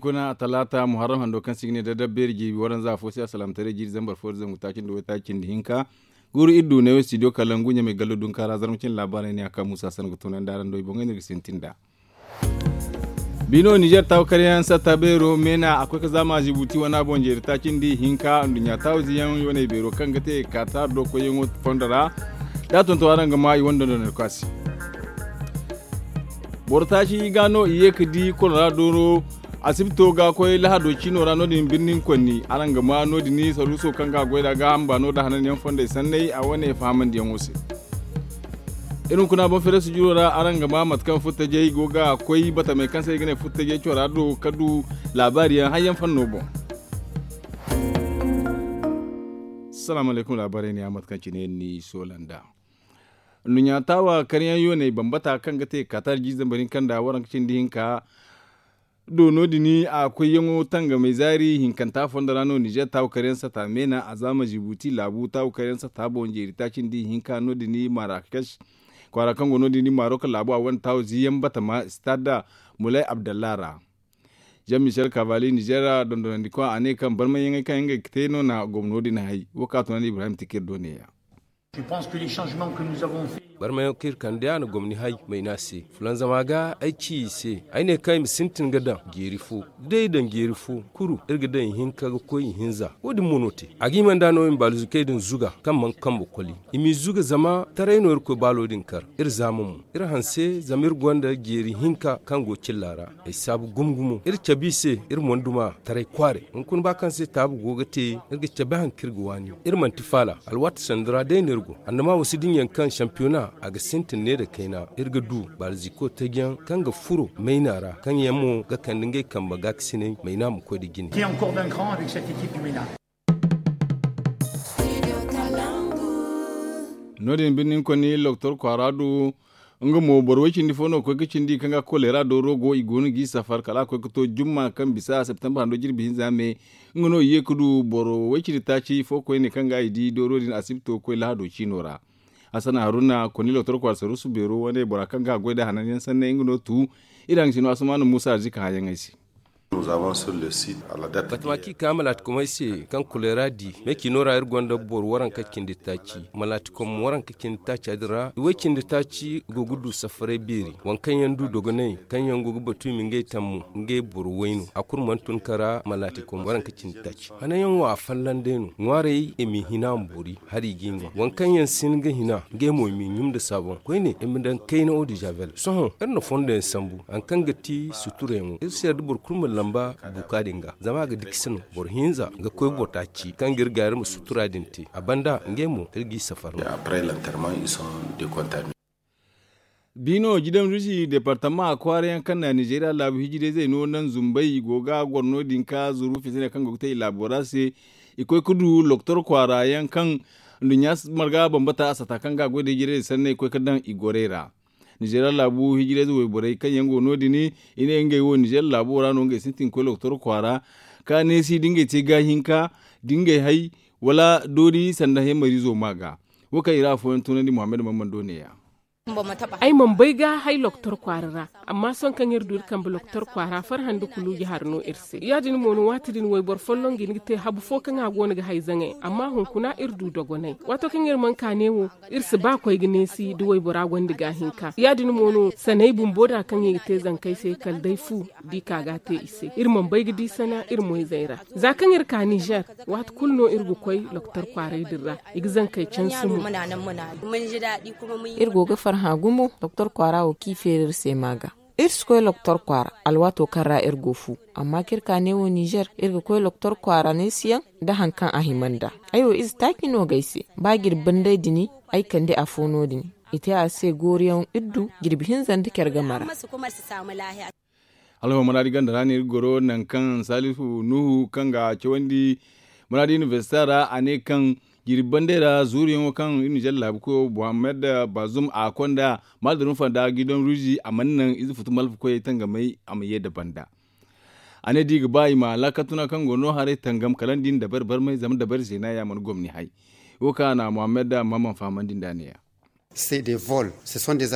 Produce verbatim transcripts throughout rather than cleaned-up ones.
Kuna talaata muharram hando kaŋ se i ga ne dadabbeeri jiibi waranza fo se alsalaamataray jiiri zambar fo da zangu taaci nda waytaaci nda hinka. Guuru iri du neewo studio kalangu ɲamay gallo dunkaara zarma cine laabaarey ne a kaŋ muusa sanda ga toonandi araŋ do i boŋey no iri ga sintin nd'a. Bino nizer taawu karyaŋ satta beero meena a koy ga zaama zibuti wana boŋ jeeri taaci nda i hinka nduɲɲa taawu ziyaŋ yoonay beero kaŋ ga te kaatar do koyyaŋo fondo ra. Da a tonton araŋ ga ma i wane dondoney kaŋ a se. Boro taaci ga no i ye ga di kolora dooro. Asibito ga koy lahado ciino ra no- din birnin konni araŋ ga ma no- din saruuso kaŋ ga a goy nd'a gaaham baano nda hananyaŋ fondey sanney a wane fahamandiyaŋo se. Iri hunkuna boŋ feere sujuro ra araŋ ga ma mate kaŋ futtajey go ga koy batamey kaŋ se i ga ne futtajey cora do ka du laabaari yaŋ hayyaŋ fanno boŋ. Salaamu alaykum laabaarey ne ya mate kaŋ cine ni soola nd'a. Nduɲɲa taawa karyaŋ yooney bambata kaŋ ga te kaatar jiizambar hinka nda waranka cindi hinka. Do no- din a koyyaŋo tangamey zaari hinkanta fondo ra no nizer taawu karyaŋ sata meena a zaama zibuti laabu taawu karyaŋ sata boŋ jeeri taaci nda i hinka no- din marakes kwaara kaŋ go no- din marok laabu a wane taawu ziyaŋ batama stade mulay abdallah ra. Jean michel kavali nizer dondonandikwa a ne kaŋ barmayyaŋey kaŋ ngey ga te no na gomno din hay wo kaŋ a tunandi ibrahim tikir do neeya. Barmayaŋ kaŋ iri kande a na gomni hay mayna se fulanzama ga ay ci i se ay ne kaŋ i ma sintin ga daŋ jeeri fo. Da day i daŋ jeeri fo kuru iri ga daŋ ihinka ga koy ihinza wo- din mo no te. A ga hima nd'a no i ma baaluzukey din zuga kaŋ mana kambe koli i m'i zuga zama taray no irkoy baalo din kar. Iri zaama mo iri hanse zama iri gonda jeeri hinka kaŋ go cilla ra. Ay saabu gumo gumo iri cabe i se iri mana duma taray kwaaray hunkuna ba kaŋ se taabu go ga te. Iri ga cabe hari kaŋ iri ga waani iri manti faala. Alwaati sanda ra day no iri go annama wasi dinya kaŋ sampiyona a ga sintin ne nda kayna iri ga du baalziko taji yaŋ kaŋ ga furo mayna ra kaŋ yaŋ mo ga kande ngey kambe gaakasinay mayna ma koy nda jine. No- din birni ni konni loktor kwaara du nga mo boro way cindi fo no ga koy ga cindi kaŋ ga kolera dooro go i go no g'i safar kala a koy ga to jumma kaŋ bisa septembre hando jirbi hinza me. Nga no i ye ga du boro way cindi taaci fo koyne kaŋ ga i di dooro din asibito ga koy lahado ciino ra. Hassan haruna konni loktor kwaara saruusu beero wane bora kaŋ ga a goy nda hanan yaŋ sanney nga no tu. Iri haŋ ga si no asamaana muusa arzika hã yaŋey se. Batama kaŋ i ka malaatikomey se kaŋ kolera di me ciino ra iri gonda boro waranka cindi taaci malaatikom waranka cindi taaca din ra i way cindi taaci go ga du safaray beeri waŋ kaŋ yaŋ du dogonay kaŋ yaŋ go ga batu i ma ngey tammu ngey boro wayno a kulu mana tun ka ra malaatikom waranka cindi taaci. Hananyaŋ wo a folloŋ day no ŋwaarey i m'i hina a ma boori hari i g'i ŋwa waŋ kaŋ yaŋ sin ga hina ngey mo i m'i ɲum nda saaboŋ koyne i ma daŋ kayna eau de javel sohõ iri na fondo yaŋ sambu hari kaŋ ga ti suturayaŋo iri se yadda boro kulu ma lamba buuka din ga zama a ga dikisi no boro hinza ga koy boro taaci kaŋ ga iri gaari ma sutura din te a banda ngey mo iri g'i safar no. Biino jidam rusi departama kwaara yaŋ kaŋ na nizeeriya laabu hijirayzey no naŋ zumbay i go ga goro no- din ka zuru fitina kaŋ go ga te i laabo ra se. I koy ga du loktor kwaara yaŋ kaŋ nduɲɲa marga bambata a sata kaŋ ga a goy nda hijirayzey sanney koy ga daŋ i gorey ra. Nizeeriya laabu hijirayze wayborey kaŋ yaŋ go no- din i ne ngey wo nizeeriya laabo ra no ngey sintin ga koy loktor kwaara ka neesi da ngey te gaahinka da ngey hay wala doori sanda hemarizo ma ga. Wo kaŋ i ra afooyaŋ tunandi muhammad mamman do neeya. Ay mana bay ga hay loktor kwaara ra. Amma sohõ kaŋ iri du iri kambe loktor kwaara farhã nda kuluuji hari no iri se ya- din mo no waati din wayboro folloŋ ga hin ga te habu fo kaŋ a go no ga hay zaŋay amma hunkuna iri du dogonay. Waato kaŋ iri mana ka ne wo iri si ba koy ga neesi da waybora gonda gaahinka ya- din mo no sanay bumbo da kaŋ i ga te zankey se kala day fu da i ka ga a te i se iri mana bay ga di sana iri moyzey ra. Za kaŋ iri ka nizer waati kulu no iri ga koy loktor kwaaray din ra i ga zankey cansi mo. Iri go ga farhã gumo doktor kwaara wo kaŋ i feeri iri se ma ga. Iri si koy loktor kwaara alwaato kaŋ ra iri go fu. Amma kaŋ iri ka neewo nizer iri ga koy loktor kwaara neesiyaŋ nda hari kaŋ a hima nd'a. Ay wo ize taaci no ga ay se ba jirbi banday din ay kande afo no- din. I te a se gooriyaŋ iri du jirbi hinza nda care game ra. Alhawar maraadi ganda ra no iri ga goro nangu kaŋ salifu nuhu kaŋ ga cawandi maraadi inibersita ra a ne kaŋ jirbi banday ra zuuruyaŋo kaŋ iri nizer laabu koyo muhammad bazum a konda maadar nufanda gidan ruzi a mana naŋ ize futu malfa koyey tangamay a ma ye nda banda. A ne da i ga ba i ma laakatuna kaŋ go no haray tangam kala nda i na dabari barmay zama dabari zeena ya mana gomni hay. Wo kaŋ a na muhammad mamman fahamandi nd'a ne- ya.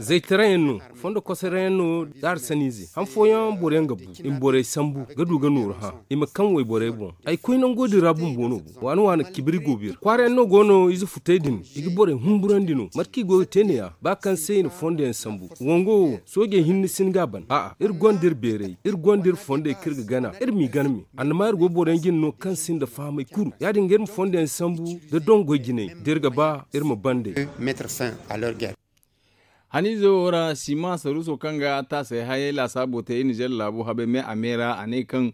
Zaytarayaŋ no, fondo kosarayaŋ no, da arsaniize han fooyaŋ boroyaŋ ga bu i ma borey sambu ga du ga nooru hã. I ma kaŋ wayborey boŋ. Ay koy nango din ra bumbo no bu waana waana cibiri go b'iri kwaarayaŋ no go no ize futey din. I ga borey humburandi no mate kaŋ i go ga te neeya ba kaŋ se i na fondo yaŋ sambu. Wango wo soojey hinne si hin ga a ban a'a iri gonda iri beeray iri gonda iri fondey kaŋ iri ga gana iri m'i gana me. Annama iri go boroyaŋ jine no kaŋ sinda fahamay kulu ya- din ga iri ma fondo yaŋ sambu nda dongoy jinay da iri ga ba iri ma ban day. Haniize wo ra sima saruuso kaŋ ga taasay hayey laasaabo te iri nizer laabo habay me a me ra a ne kaŋ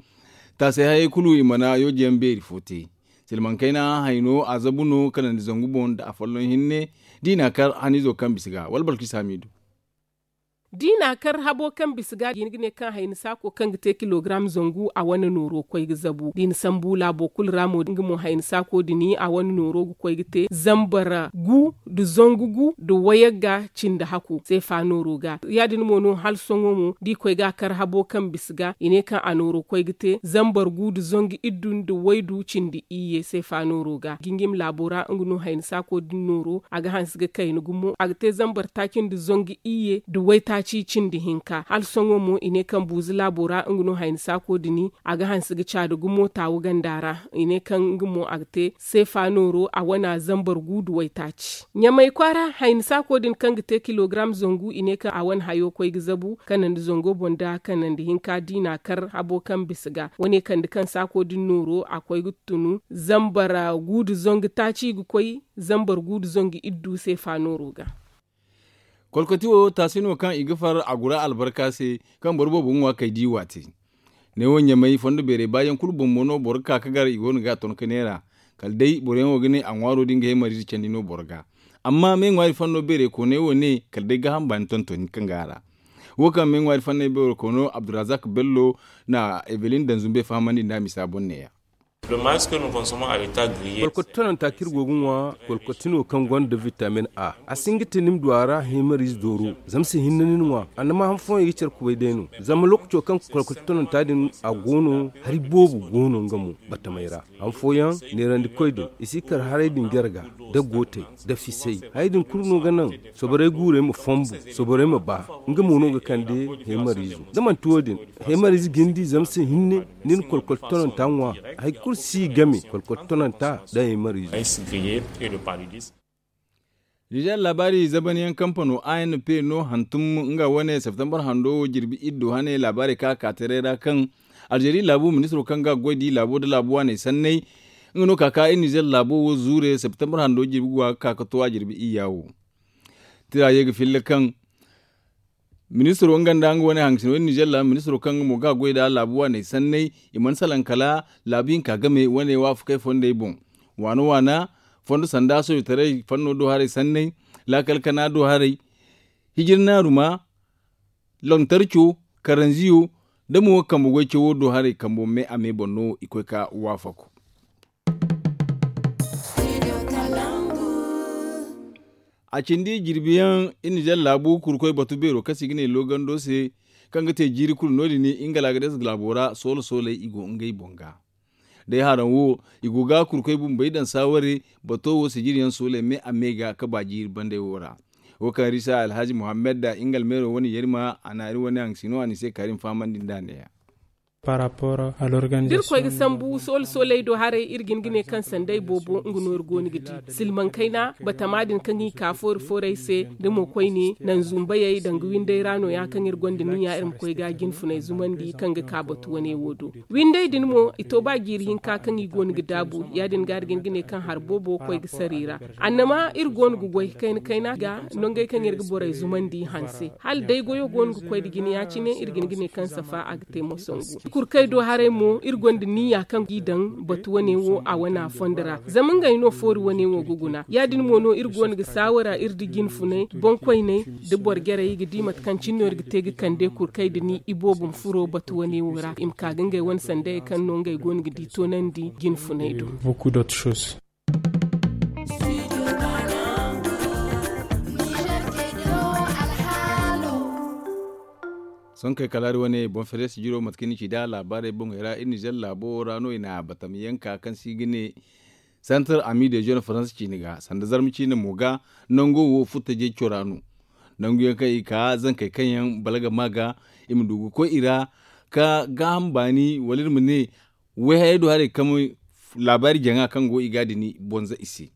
taasay hayey kulu i mana yooje yaŋ beeri fo te. Silmaŋ kayna hayno a zabu no kanandi zangu boŋ nda afolloŋ hinne da i n'a kar haniizo kaŋ bisa ga wala balkis hamiidu. Da i n'a kar habo kaŋ bisa ga i ga ne kaŋ hayni saako kaŋ ga te kilogaram zangu a wane nooro ga koy ga zabu da i na sambu laabo kulu ra mo nga mo hayni saako din a wane nooro ga koy ga te zambar gu nda zangu gu nda wayagga cindi hako seefa nooro ga. Ya- din mo no hala sohõ mo da i koy ga a kar habo kaŋ bisa ga i ne kaŋ a nooro ga koy ga te zambar gu nda zangu iddu nda waydu cindi iyye seefa nooro ga gingim laabo ra nga no hayni saako din nooro a ga hanse ga kayna gumo a ga te zambar taaci nda zangu iyye nda waytaaci cindi hinka hala sohõ mo i ne kaŋ buuzu laabo ra nga no hayni saako din a ga hanse ga caadi gumo taawu ganda ra. I ne kaŋ nga mo a ga te seefa nooro a wana zambar gu nda waytaaci ɲamay kwaara hayni saako din kaŋ ga te kilogaram zangu i ne kaŋ a wane hayo koy ga zabu kanandi zango boŋ da kanandi hinka da i n'a kar habo kaŋ bisa ga wane kande kaŋ saako din nooro a koy ga tunu zambar gu nda zangu taaci ga koy zambar gu nda zangu iddu seefa nooro ga. Kolkoti wo taasi no kaŋ i ga far a gura albarka se kaŋ boro boobo ga ŋwa kay da i waate. Neewo ɲamay fondo beeray baayaŋ kulu boŋ mo no boro ga ka ga gar i go no ga a ton ka neera. Kala day boroyaŋ wo ga ne a ŋwaaro din ga heemariize candi no boro ga. Amma me ŋwaari fondo beeray kooney wo ne kala day gaaham baani tontoni kaŋ ga a ra. Wo kaŋ me ŋwaari fanney beero koono abdurazak bello na evelin danzumbe fahamandi nda a misa boŋ neeya. Kolkoti tononta kaŋ iri go ga ŋwa kolkoti no kaŋ gonda vitamin a a si hin ga te ni ma du a ra heemariize dooro. Zama se hinne ni na ŋwa annama han fooyaŋ i ga care kubay day no. Zama lookaco kaŋ kolkoti tononta din a go no hari boobo go no nga mo batamey ra. Han fooyaŋ neerandikoy din i si kar haray din jare ga nda gootey nda fisay. Hayey din kulu no ga naŋ soborey guurey ma fonbu, soborey ma ba. Nga mo no ga kande heemariizo da manti wo- din heemariize jindi zama se hinne ni na kolkoti tononta ŋwa. Hari kulu si game kolkoti tononta nda heemariizo. Nizer laabaari zabanyaŋ kampano a n p no hantum nga wane septembar hando wo jirbi iddo hane laabaari ka ka taray ra kaŋ alzeeri laabu ministiro kaŋ ga goy di laabo nda laabu waaney sanney. Nga no ka ka iri nizer laabo wo zuure septembar hando jirbi ga ka ka to a jirbi iyya wo. Tira ye ga filla kaŋ ministiro nga nda nga wane hangasino iri nizer laabu ministiro kaŋ nga mo ga goy nda laabu waaney sanney i mana salaŋ kala laabu hinka game wane waafakey fondey boŋ. Waana waana fondo sanda soojitaray fanno do haray sanney, laakal kana do haray, hijirnaaruma, lantarco, karanziyo, da mo kambe goy cawo do haray kambo me a me boŋ no i koy ka waafaku. A cindi jirbiyaŋ iri nizer laabu kurkoy batu beero kaŋ se i ga ne loogando se, kaŋ ga te jiiri kulu no- din ingalagadez laabo ra soola sooley i go ngey boŋ ga. Day haraŋ wo i go ga kurkoy bumbey daŋ saaware bato wo sijiriyaŋ sooley me a me ga ka ba jiiri bandey wo ra. Wo kaŋ risa alhazi muhammad da ingal meero wane yarima a na iri wane haŋ sino a ni se karim fahamandi nda neeya. Da iri koy ga sambu soole sooley do haray iri ga hin ga ne kaŋ sanday boobo nga no iri go no ga di silmaŋ kayna batama din kaŋ i ka foori foorey se da mo koyne naŋ zumbayey danga winday ra no- ya kaŋ iri gonda ni- ya iri ma koy ga jinfunay zumandi kaŋ ga ka batu wane wo do. Winday din mo i to ba jiiri hinka kaŋ i go no ga daabu ya- din ga iri ga hin ga ne kaŋ hari boobo koy ga sara i ra. Annama iri go no ga goy kayna kayna ga nongey kaŋ iri ga borey zumandi hanse hala day goyo go no ga koy nda jine ya- cine iri ga hin ga ne kaŋ safa a ga te moso ngu kurkey do haray mo iri gonda niya kaŋ g'i daŋ batu wane wo a wana fondo ra zama ngey no foori wane wo ga guna ya- din mo no iri go no ga saawara iri da jinfunay boŋkoyney da boro jarey i ga di mate kaŋ cine no iri ga te ga kande kurkey nda ni iboobo ma furo batu wane wo ra i ma ka ga ngey wane sanday kaŋ no ngey go no ga di toonandi jinfunay do. Sonkey kala hari wane boŋ feres jiro mate kaŋ ni ci da laabaarey boŋey ra iri nizer laabo ra no i na batamiyanka kaŋ se i ga ne Santar ami de zone faransa ciine ga sanda zarma ciine mo ga nango wo furtajey cora no. Nangu yaŋ kaŋ i ka zankey kaŋ yaŋ balaga ma ga i ma du ga koy i ra ka gaaham baani wala iri ma ne wayhayey do haray kaŋ laabaari jaŋa kaŋ go i ga a dini bonza i se.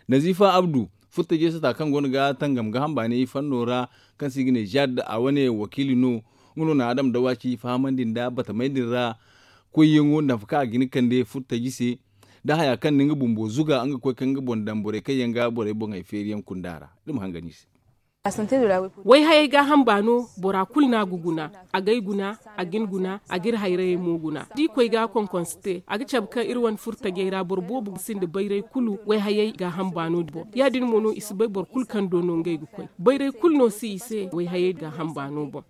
Nazifa abdu furtajey sata kaŋ go no ga tangam gaaham baani fanno ra kaŋ se i ga ne zaad a wane wakiili no. Nga no na adam dawaci fahamandi nda batamey din ra koyyaŋo nda afo kaŋ a ga hin kande furtaji se da haya kaŋ na nga bumbo zuga nga koy kaŋ nga boŋ daŋ borey kaŋ yaŋ ga borey boŋey feeri yaŋ kunda ra. Iri ma hangan i se. Wayhayey gaaham baano bora kulu no a ga guna, a g'ay guna, a g'in guna, a g'iri hayrayey mo guna da i koy ga a konkonse te a ga cabe kaŋ iri wane furtajey ra boro boobo ga sinda bayray kulu wayhayey gaaham baano din boŋ. Ya- din mo no i si bay boro kulu kaŋ do no ngey ga koy bayray kulu no si i se wayhayey gaaham baano boŋ.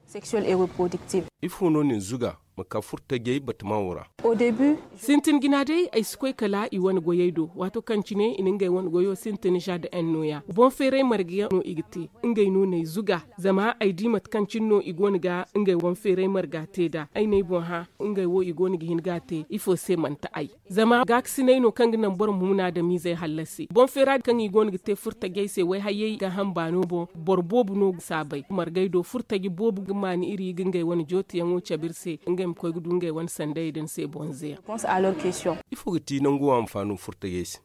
Ifo no na ni zuga ma ka furtajey batama wo ra? Sintin jina day ay si koy kala i wane goyey do waato kaŋ cine i na ngey wane goyo sintin za da en nooya boŋ feeray marga yaŋ no i ga te. Ngey no n'ay zuga zama ay di mate kaŋ cine no i go no ga ngey wane feeray marga te nd'a ay n'ay boŋ hã. Ngey wo i go no ga hin ga a te ifo se manti ay zama gaakasinay no kaŋ ga naŋ boro ma hun adamiizey hallasi boŋ feera kaŋ i go no ga te furtajey se wayhayey gaaham baano boŋ. Boro boobo no ga saabay margey do furtaji boobo ga maani iri ga ngey wane jootiyaŋo cabe iri se ngey ma koy ga du ngey wane sandayey din se bonzeyaŋ. Ifo ga ti nangu wo anfaano furtajey se?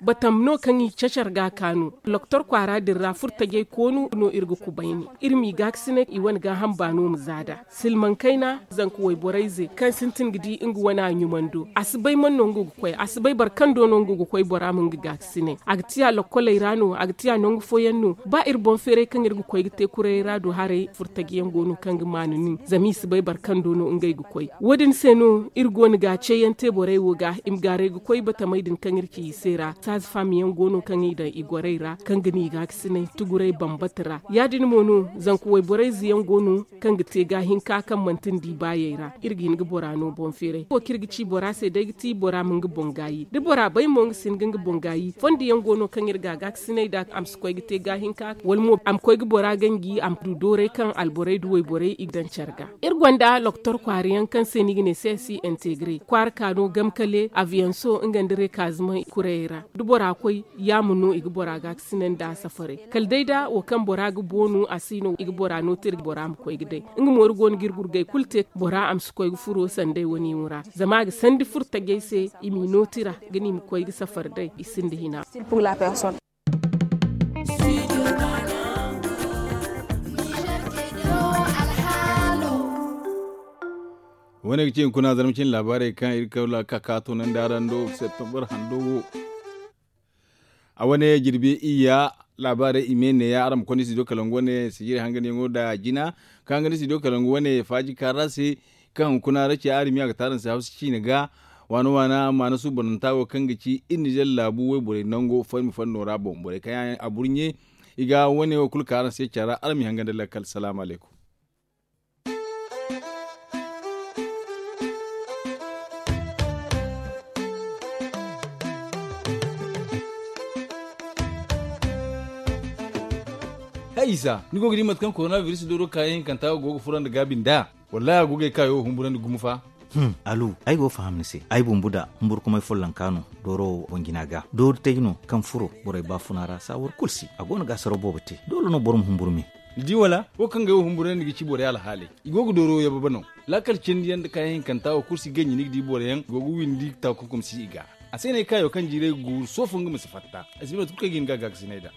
Batam no kaŋ i cacar ga a kaanu doktor kwaara din ra furtajey koonu no iri ga kubayni iri m'i gaakasinay i wane gaaham baano ma za nd'a. Silmaŋ kayna zanka wayborey ze kaŋ sintin ga di nga wane a ɲumando a si bay man no nga ga koy a si bay boro kaŋ do no nga ga koy bora ma nga gaakasinay a ga tiya lokkoley ra no a ga tiya nangu fooyaŋ no ba iri boŋ feeray kaŋ iri ga koy ga te kurayey ra do haray furtaji yaŋ go no kaŋ ga maanu nin zama i si bay boro kaŋ do no ngey ga koy. Wo- din se no iri go no ga ceeyaŋ te borey wo ga i ma gaaray ga koy batamey din kaŋ iri ci i se ra saaza faama yaŋ go no kaŋ i daŋ i gorey ra kaŋ ga no i gaakasinay tuguray bambata ra ya- din mo no zanka wayborey ze yaŋ go no kaŋ ga te gaahinka kaŋ manti nda i baayey ra iri ga hin ga bora no boŋ feeray wo kaŋ iri ga ci bora se day ga ti bora ma nga boŋ gaayi da bora bay mo nga si hin ga nga boŋ gaayi fondo yaŋ go no kaŋ iri ga a gaakasinay nd'a a ma si koy ga te gaahinka wala mo a ma koy ga bora ganji a ma du dooray kaŋ alborey nda wayborey i ga daŋ care ga. Iri gonda loktor kwaara yaŋ kaŋ se no i ga ne se si integre kwaara ka no gamkale aviyanso nga nda rekaazima kurayey ra da bora koy yaama no i ga bora gaakasinay nd'a safaray kala day da wo kaŋ bora ga boonu a si no i ga bora no tira bora ma koy ga day. Nga mo iri go no ga iri gurgay kulu te bora a ma si koy ga furo sanday wane yaŋo ra zama a ga sandi furo tajay se i m'i no tira ga no i ma koy ga safari day i sinda hina. Wane ga ci hunkuna zarma cine laabaarey kaŋ iri kawla ka ka toonandi araŋ do septembar hando wo. A wane jirbi iyya laabaarey i me neeya araŋ ma konda studio kalangu wane sijiri hanganyaŋo nda jina ka hangan studio kalangu wane faaji kaara se. Kaŋ hunkuna ra ci arimi a ga te araŋ se hawsa ciine ga waana waana maana suubananta wo kaŋ ga ci iri nizer laabu wayborey nango fayma fanno ra boŋ borey kaŋ yaŋ a burɲe i ga wane wo kulu ka araŋ se care ra araŋ ma i hangan da lakkal salaamu alaykum. Hay isa ni go ga di mate kaŋ korona biris dooro kaayaŋ hinkanta go ga furo nda gaabi nd'a? Wallahi a go ga ay kaayo humburandi gumo fa. Alu ay go ga faham ni se ay bumbu da humburkumay follonka no dooro wo boŋ jina ga doori tay no kaŋ furo borey baafuna ra saawar kulu si a go no ga asaro boobo te doole no boro ma humburu me. Ni di wala wo kaŋ ga ay wo humburandi ga ci borey alhaaley i go ga dooro yababe no. Laakal cindi yaŋ nda kaayaŋ hinkanta wo kulu si ganji ni ga di boro yaŋ go ga windi takunkum si i ga. A se no ay kaayo kaŋ jiiray ga guuru soofo nga ma si fatta ay si bay mate kulu kaŋ ay ga hin ga a gaakasinay nd'a.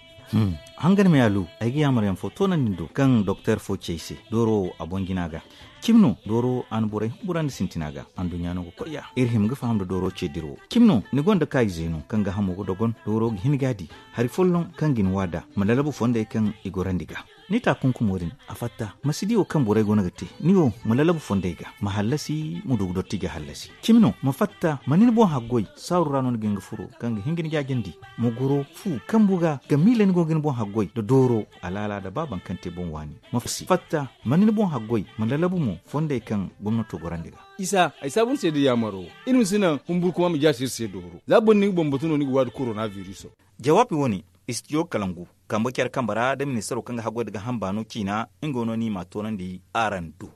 Hangan me alu ay ga yaamar yaŋ fo toonandi ni do kaŋ doktor fo ci ay se dooro wo a boŋ jina ga. Cimi no dooro a na borey humburandi sintina ga anduɲɲa no ga koy ya iri hima ga faham nda dooro ce dira wo cimi no ni gonda kaayi zeeno kaŋ ga hamo ga dogon dooro ga hin ga a di hari folloŋ kaŋ ga ni waada ma lalabu fondey kaŋ i gorandi ga. Ni taakunkumo din a fatta ma si di wo kaŋ borey go no ga te ni wo ma lalabu fondey ga ma hallasi ma du ga dotti ga hallasi. Cimi no ma fatta ma ni ni boŋ haggoy saaru ra no ni ga hin ga furo kaŋ ga hin ga ni jaajandi ma goro fu kambu ga ga miila ni go ga ni boŋ haggoy nda dooro alaala nda ba baŋ kaŋ te boŋ waani ma fatta ma ni ni boŋ haggoy ma lalabu mo fondey kaŋ gomnato gorandi ga. Isa ay saabu ni se da yaamaro iri ma si naŋ humburkuma ma jaasi iri se dooro za boro na nga boŋ batu no ni ga waadi korona biriso. Jawaabi wo-ne istijo kalangu kambe care kambe ra da ministaro kaŋ ga haggoy nda ga hamba no ciina nga wo no ni m'a toonandi araŋ do.